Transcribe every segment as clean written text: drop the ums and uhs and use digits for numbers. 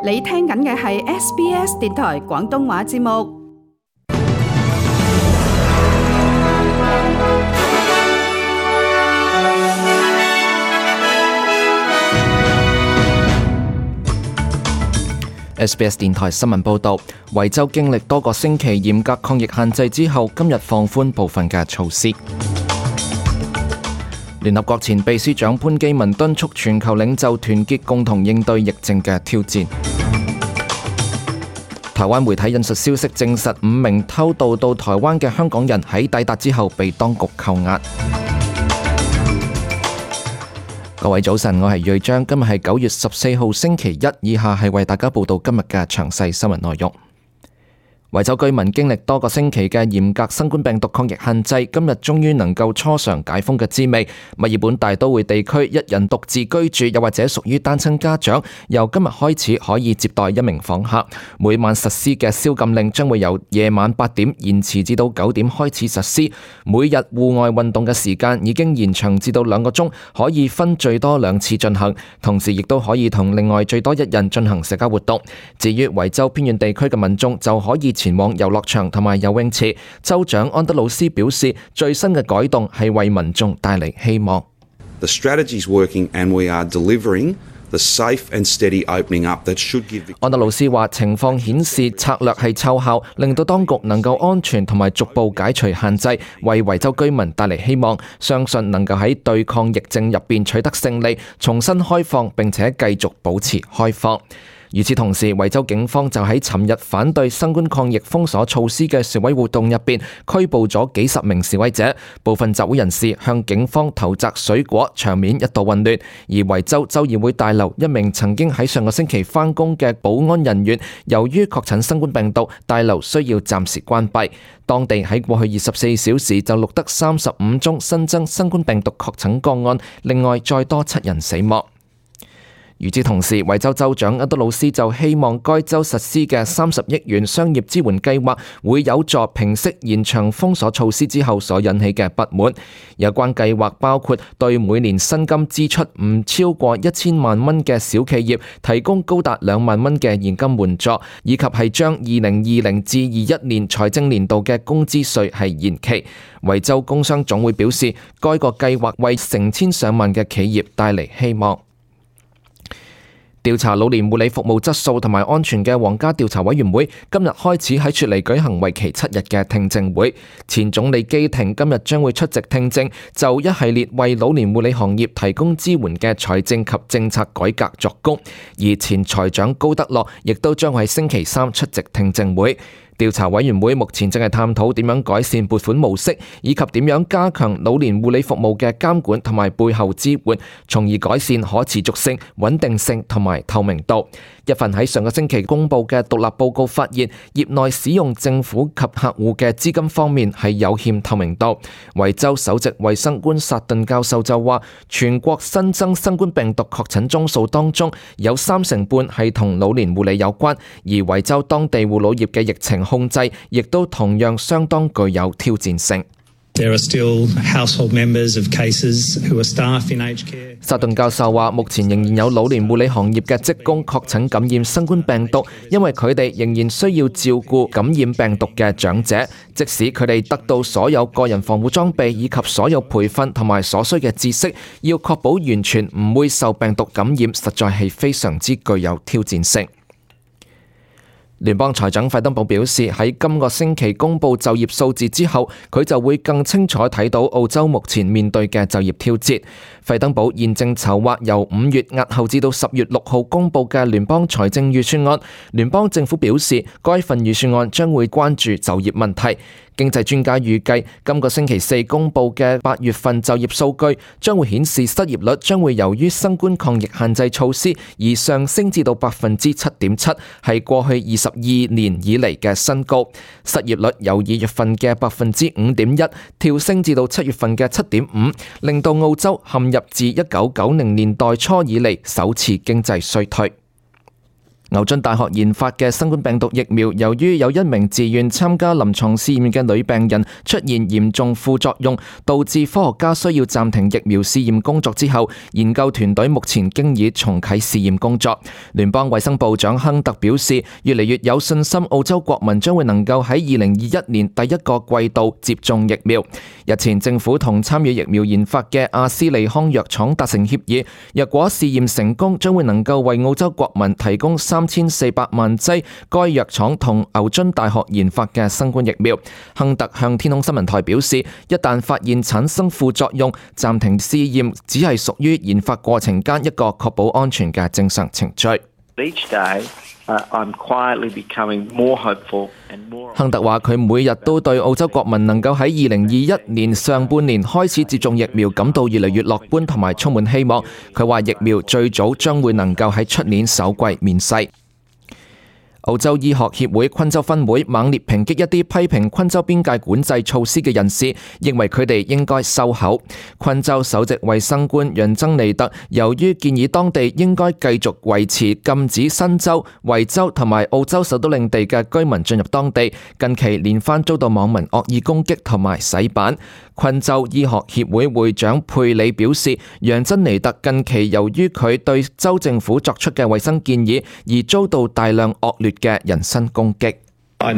你聽緊嘅係 SBS 電台廣東話節目。SBS 電台新聞報導，維州經歷多個星期嚴格抗疫限制之後，今日放寬部分嘅措施。聯合國前秘書長潘基文敦促全球領袖團結，共同應對疫症嘅挑戰。台灣媒體引述消息證實，5名偷渡到台灣嘅香港人喺抵達之後被當局扣押。各位早晨，我係瑞章，今日係9月14號星期一，以下係為大家報道今日嘅詳細新聞內容。維州居民經歷多個星期嘅嚴格新冠病毒抗疫限制，今日終於能夠初嘗解封嘅滋味。墨爾本大都會地區一人獨自居住又或者屬於單親家長，由今日開始可以接待1名訪客。每晚實施嘅宵禁令將會由夜晚8點延遲至到9點開始實施。每日戶外運動嘅時間已經延長至到2個鐘，可以分最多2次進行，同時亦都可以同另外最多1人進行社交活動。至於維州偏遠地區嘅民眾就可以前往遊樂場同埋游泳池。州長安德魯斯表示，最新嘅改動係為民眾帶嚟希望。The strategy is working and we are delivering the safe and steady opening up that should give. 安德魯斯話，情況顯示策略係奏效，令到當局能夠安全同埋逐步解除限制，為維州居民帶嚟希望，相信能夠喺對抗疫症入邊取得勝利，重新開放並且繼續保持開放。與此同時，維州警方就喺尋日反對新冠抗疫封鎖措施嘅示威活動入邊拘捕咗幾十名示威者，部分集會人士向警方投擲水果，場面一度混亂。而維州州議會大樓一名曾經喺上個星期返工嘅保安人員，由於確診新冠病毒，大樓需要暫時關閉。當地喺過去24小時就錄得35宗新增新冠病毒確診個案，另外再多7人死亡。與此同時，維州州長安德魯斯就希望該州實施嘅30億元商業支援計劃會有助平息延長封鎖措施之後所引起嘅不滿。有關計劃包括對每年薪金支出唔超過1000萬蚊嘅小企業提供高達2萬蚊嘅現金援助，以及係將2020至21年財政年度嘅工資稅係延期。維州工商總會表示，該個計劃為成千上萬嘅企業帶嚟希望。調查老年護理服務質素同埋安全嘅皇家調查委員會今日開始喺雪梨舉行為期7日嘅聽證會。前總理基廷今日將會出席聽證，就一系列為老年護理行業提供支援嘅財政及政策改革作供。而前財長高德樂亦都將喺星期3出席聽證會。調查委員會目前正係探討點樣改善撥款模式，以及點樣加強老年護理服務嘅監管同埋背後支援，從而改善可持續性、穩定性同埋透明度。一份喺上個星期公布嘅獨立報告發現，業內使用政府及客戶嘅資金方面係有欠透明度。維州首席衛生官薩頓教授就話，全國新增新冠病毒確診宗數當中有30%半係同老年護理有關，而維州當地護老業嘅疫情控制亦都同樣相當具有挑戰性。There are still household members of cases who are staff in aged care. 薩頓教授話，目前仍然有老年護理行業嘅職工確診感染新冠病毒，因為佢哋仍然需要照顧感染病毒嘅長者，即使佢哋得到所有個人防護裝備以及所有培訓同埋所需嘅知識，要確保完全唔會受病毒感染，實在係非常之具有挑戰性。聯邦財長費登堡表示，喺今個星期公布就業數字之後，佢就會更清楚睇到澳洲目前面對嘅就業挑戰。費登堡現正籌劃由5月押後至到10月6號公布嘅聯邦財政預算案。聯邦政府表示，該份預算案將會關注就業問題。經濟專家預計，今個星期4公布嘅8月份就業數據將會顯示失業率將會由於新冠抗疫限制措施而上升至到 7.7%， 係過去22年以嚟嘅新高。失業率由2月份嘅 5.1% 跳升至到7月份嘅 7.5%， 令到澳洲陷入自1990年代初以嚟首次經濟衰退。牛津大學研發嘅新冠病毒疫苗，由於有一名自願參加臨床試驗嘅女病人出現嚴重副作用，導致科學家需要暫停疫苗試驗工作之後，研究團隊目前經已重啟試驗工作。聯邦衛生部長亨特表示，越嚟越有信心澳洲國民將會能夠喺2021年第一個季度接種疫苗。日前政府同參與疫苗研發嘅阿斯利康藥廠達成協議，若果試驗成功，將會能夠為澳洲國民提供3400萬劑該藥廠同牛津大學研發嘅新冠疫苗。亨特向天空新聞台表示，一旦發現產生副作用，暫停試驗只係屬於研發過程間一個確保安全嘅正常程序。亨特話：佢每日都對澳洲國民能夠喺2021年上半年開始接種疫苗感到越嚟越樂觀同埋充滿希望。佢話疫苗最早將會能夠喺出年首季面世。澳洲醫學協會昆州分會猛烈抨擊一啲批評昆州邊界管制措施嘅人士，認為佢哋應該收口。昆州首席衛生官楊珍尼特由於建議當地應該繼續維持禁止新州、維州同埋澳洲首都領地嘅居民進入當地，近期連番遭到網民惡意攻擊同埋洗版。昆州醫學協會會長佩里表示，楊珍尼特近期由於佢對州政府作出嘅衛生建議而遭到大量惡劣嘅人身攻擊。佩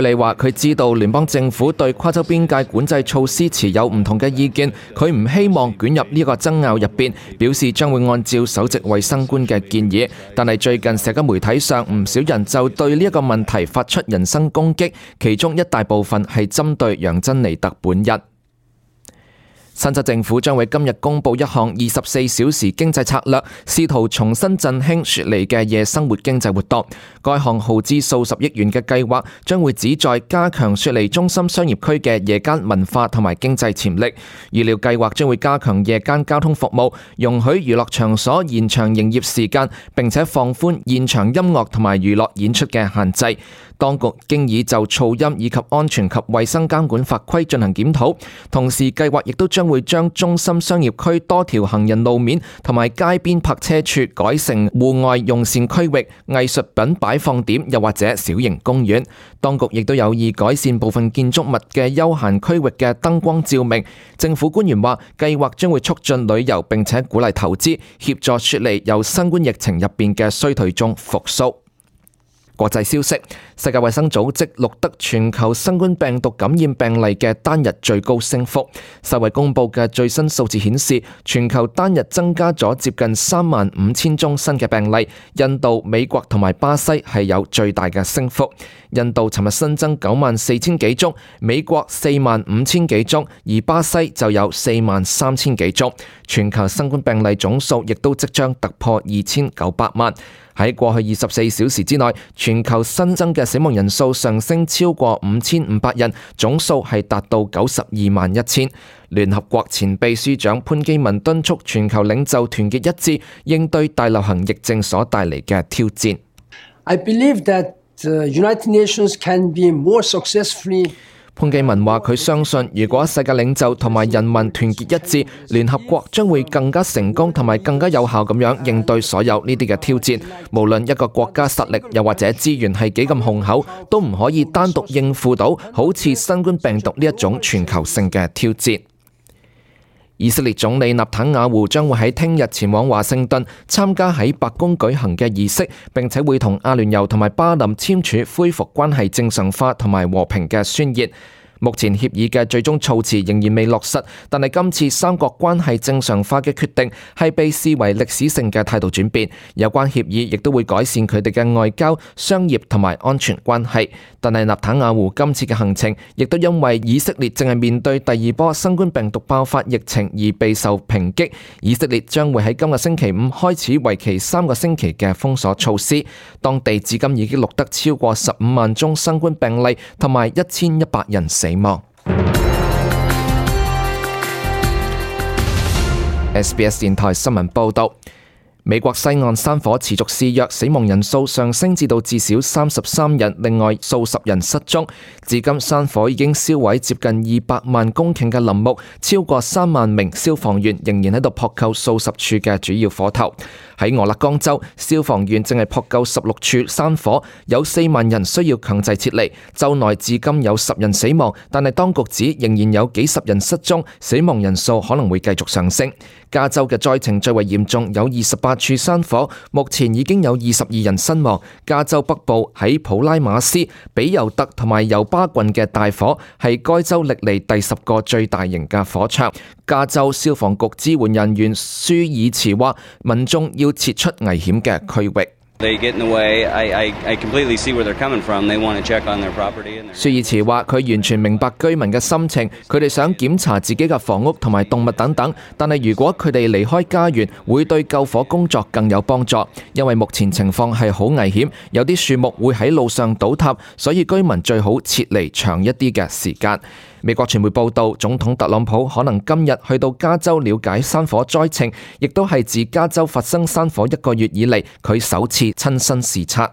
里話：佢知道聯邦政府對跨州邊界管制措施持有唔同嘅意見，佢唔希望捲入呢個爭拗入邊，表示將會按照首席衛生官嘅建議。但係最近社交媒體上唔少人就對呢一個問題發出人身攻擊，其中一大部分係針對楊珍尼特本人。新州政府將會今日公布一項24小時經濟策略，試圖重新振興雪梨嘅夜生活經濟活動。該項耗資數十億元嘅計劃將會旨在加強雪梨中心商業區嘅夜間文化同埋經濟潛力。預料計劃將會加強夜間交通服務，容許娛樂場所延長營業時間，並且放寬現場音樂同埋娛樂演出嘅限制。當局經已就噪音以及安全及衛生監管法規進行檢討，同時計劃亦都將會將中心商業區多條行人路面同埋街邊泊車處改成戶外用膳區域、藝術品擺放點，又或者小型公園。當局亦都有意改善部分建築物嘅休閒區域嘅燈光照明。政府官員話，計劃將會促進旅遊並且鼓勵投資，協助雪梨由新冠疫情入邊嘅衰退中復甦。國際消息，世界衛生組織錄得全球新冠病毒感染病例嘅單日最高升幅。世衛公佈嘅最新數字顯示，全球單日增加咗接近35,000宗新嘅病例，印度、美國同埋巴西係有最大嘅升幅。印度尋日新增94,000幾宗，美國45,000幾宗，而巴西就有43,000幾宗。全球新冠病例總數亦都即將突破2,900萬。喺過去24小時之內，全球新增嘅死亡人數上升超過5,500人，總數係達到92.1萬。聯合國前秘書長潘基文敦促全球領袖團結一致，應對大流行疫症所帶嚟嘅挑戰。I believe that the United Nations can be more successfully。潘基文話：佢相信，如果世界領袖同埋人民團結一致，聯合國將會更加成功同埋更加有效咁樣應對所有呢啲嘅挑戰。無論一個國家實力又或者資源係幾咁雄厚，都唔可以單獨應付到好似新冠病毒呢一種全球性嘅挑戰。以色列總理納坦雅胡將會喺聽日前往華盛頓參加喺白宮舉行嘅儀式，並且會同阿聯酋同埋巴林簽署恢復關係正常化同埋和平嘅宣言。目前協議嘅最終措辭仍然未落實，但係今次三國關係正常化嘅決定係被視為歷史性嘅態度轉變。有關協議亦都會改善佢哋嘅外交、商業同埋安全關係。但係納坦雅胡今次嘅行程亦都因為以色列正係面對第二波新冠病毒爆發疫情而備受抨擊。以色列將會喺今個星期五開始為期3個星期嘅封鎖措施。當地至今已經錄得超過15萬宗新冠病例同埋1100人死亡。SBS 電台新聞報道，美國西岸山火持續肆虐，死亡人數上升至到至少33人，另外數十人失蹤。至今山火已經燒毀接近200萬公頃嘅林木，超過3萬名消防員仍然喺度撲救數十處嘅主要火頭。喺俄勒岡州，消防員正係撲救16處山火，有4萬人需要強制撤離。州內至今有10人死亡，但係當局指仍然有幾十人失蹤，死亡人數可能會繼續上升。加州嘅災情最為嚴重，有28處山火，目前已經有22人身亡。加州北部喺普拉馬斯、比尤特同埋尤巴郡嘅大火係該州歷嚟第10個最大型嘅火場。加州消防局支援人員舒爾茨話，民眾要撤出危險嘅區域。舒爾茨話：佢完全明白居民嘅心情，佢哋想檢查自己嘅房屋同埋動物等等，但係如果佢哋離開家園，會對救火工作更有幫助，因為目前情況係好危險，有啲樹木會喺路上倒塌，所以居民最好撤離長一啲嘅時間。美國傳媒報道，總統特朗普可能今日去到加州了解山火災情，亦都係自加州發生山火1個月以嚟，佢首次親身視察。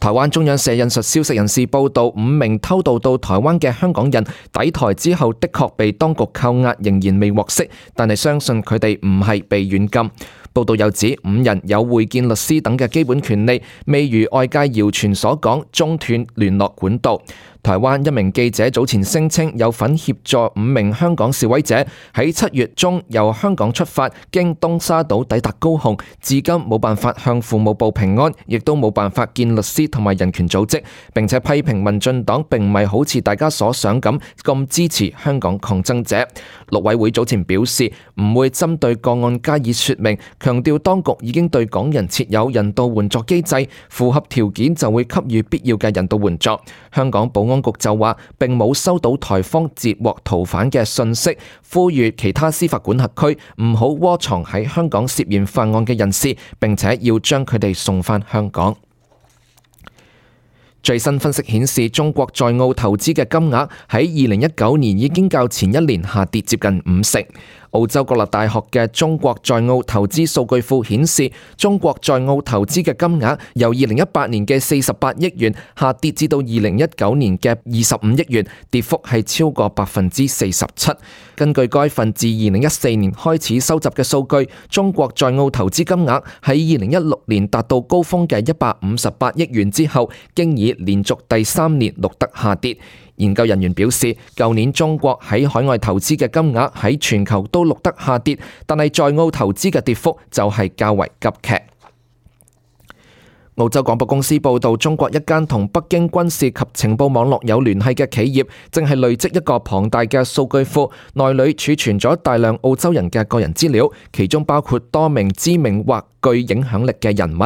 台灣中央社引述消息人士報道，5名偷渡到台灣嘅香港人抵台之後，的確被當局扣押，仍然未獲釋，但係相信佢哋唔係被軟禁。報道又指5人有會見律師等嘅基本權利，未如外界謠傳所講中斷聯絡管道。台灣一名記者早前聲稱有份協助5名香港示威者喺7月中由香港出發，經東沙島抵達高雄，至今冇辦法向父母報平安，亦都冇辦法見律師同埋人權組織，並且批評民進黨並唔係好似大家所想咁支持香港抗爭者。陸委會早前表示唔會針對個案加以說明，強調當局已經對港人設有人道援助機制，符合條件就會給予必要嘅人道援助。香港保安局就話並冇收到台方截獲逃犯嘅訊息，呼籲其他司法管轄區唔好窩藏喺香港涉嫌犯案嘅人士，並且要將佢哋送返香港。最新分析顯示，中國在澳投資嘅金額喺2019年已經較前一年下跌接近50%。澳洲國立大學嘅中國在澳投資數據庫顯示，中國在澳投資嘅金額由2018年嘅48億元下跌至到2019年嘅25億元，跌幅係超過47%。根據該份自2014年開始收集嘅數據，中國在澳投資金額喺2016年達到高峰嘅158億元之後，經已連續第3年錄得下跌。研究人員表示，舊年中國喺海外投資嘅金額喺全球都錄得下跌，但係在澳投資嘅跌幅就係較為急劇。澳洲廣播公司報道，中國一間同北京軍事及情報網絡有聯繫嘅企業，正係累積一個龐大嘅數據庫，內裏儲存咗大量澳洲人嘅個人資料，其中包括多名知名或具影響力嘅人物。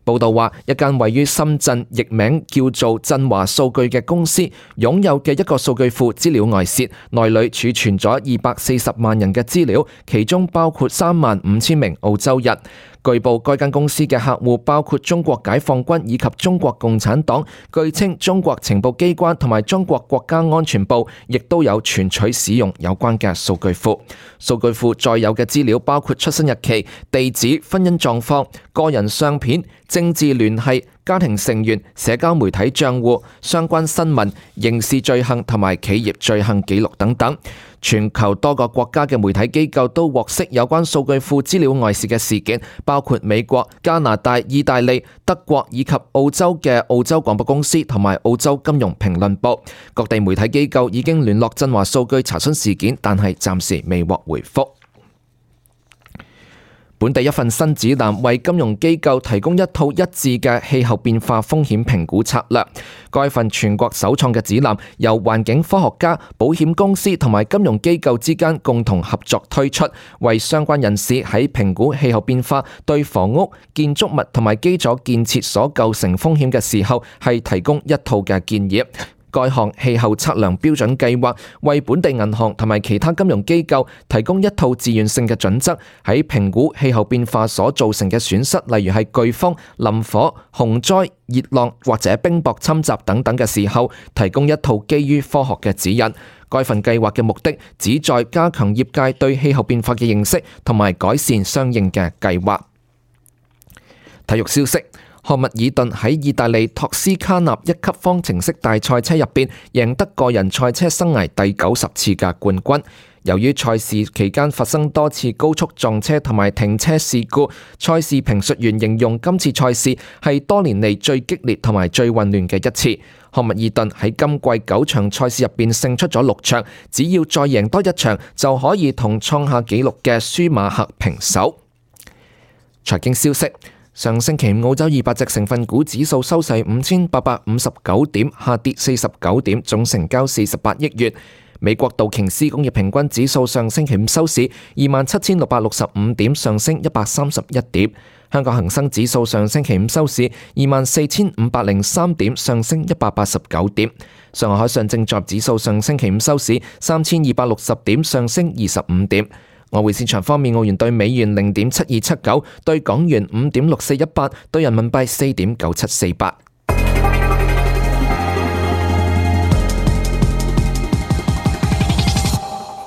報道話，一間位於深圳、譯名叫做振華數據嘅公司，擁有嘅一個數據庫資料外泄，內裏儲存咗240萬人嘅資料，其中包括35000名澳洲人。據報，該間公司嘅客戶包括中國解放軍以及中國共產黨。據稱，中國情報機關同埋中國國家安全部亦都有存取使用有關嘅數據庫。數據庫載有嘅資料包括出生日期、地址、婚姻狀況、個人相片、政治聯繫、家庭成員、社交媒體賬戶、相關新聞、刑事罪行同埋企業罪行記錄等等。全球多個國家嘅媒體機構都獲悉有關數據庫資料外泄嘅事件，包括美國、加拿大、意大利、德國以及澳洲嘅澳洲廣播公司同埋澳洲金融評論報。各地媒體機構已經聯絡振華數據查詢事件，但係暫時未獲回覆。本地一份新指南為金融機構提供一套一致嘅氣候變化風險評估策略。該份全國首創嘅指南由環境科學家、保險公司同埋金融機構之間共同合作推出，為相關人士喺評估氣候變化對房屋、建築物同埋基礎建設所構成風險嘅時候，係提供一套嘅建議。該項氣候測量標準計劃為本地銀行同埋其他金融機構提供一套自願性嘅準則，喺評估氣候變化所造成嘅損失，例如係颶風、林火、洪災、熱浪或者冰雹侵襲等等嘅時候，提供一套基於科學嘅指引。該份計劃嘅目的旨在加強業界對氣候變化嘅認識，同埋改善相應嘅計劃。體育消息：漢密爾頓喺意大利托斯卡納1級方程式大賽車入邊贏得個人賽車生涯第90次嘅冠軍。由於賽事期間發生多次高速撞車同埋停車事故，賽事評述員形容今次賽事係多年嚟最激烈同埋最混亂嘅一次。漢密爾頓喺今季9場賽事入邊勝出咗6場，只要再贏多1場就可以同創下紀錄嘅舒馬赫平手。財經消息：上星期澳洲200隻成分股指數收市5859點，下跌49點，總成交48億元。美國道瓊斯工業平均指數上星期五收市27,665點，上升131點。香港恒生指數上星期五收市24,503點，上升189點。上海海上證綜合指數上星期五收市3,260點，上升25點。外匯市場方面，澳元兌美元0.7279，兌港元5.6418，兌人民幣4.9748。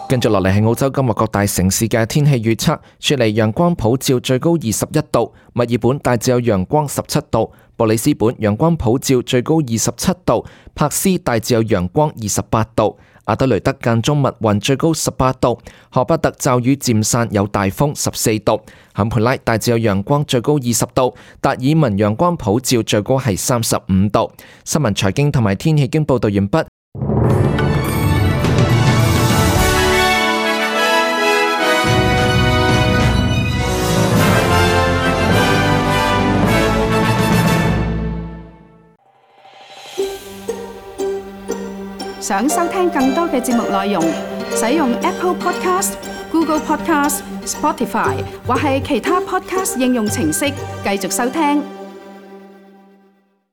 跟住落嚟係澳洲今日各大城市嘅天氣預測：雪梨陽光普照，最高21度；墨爾本大致有陽光17度；布里斯本陽光普照，最高27度；柏斯大致有陽光28度；阿德雷德間中密雲，最高18度；荷巴特驟雨漸散，有大風14度；坎培拉大致有陽光，最高20度；達爾文陽光普照，最高係35度。新聞財經同埋天氣經報道完畢。想收聽更多嘅節目內容，使用 Apple Podcast、Google Podcast、Spotify 或係其他 Podcast 應用程式繼續收聽。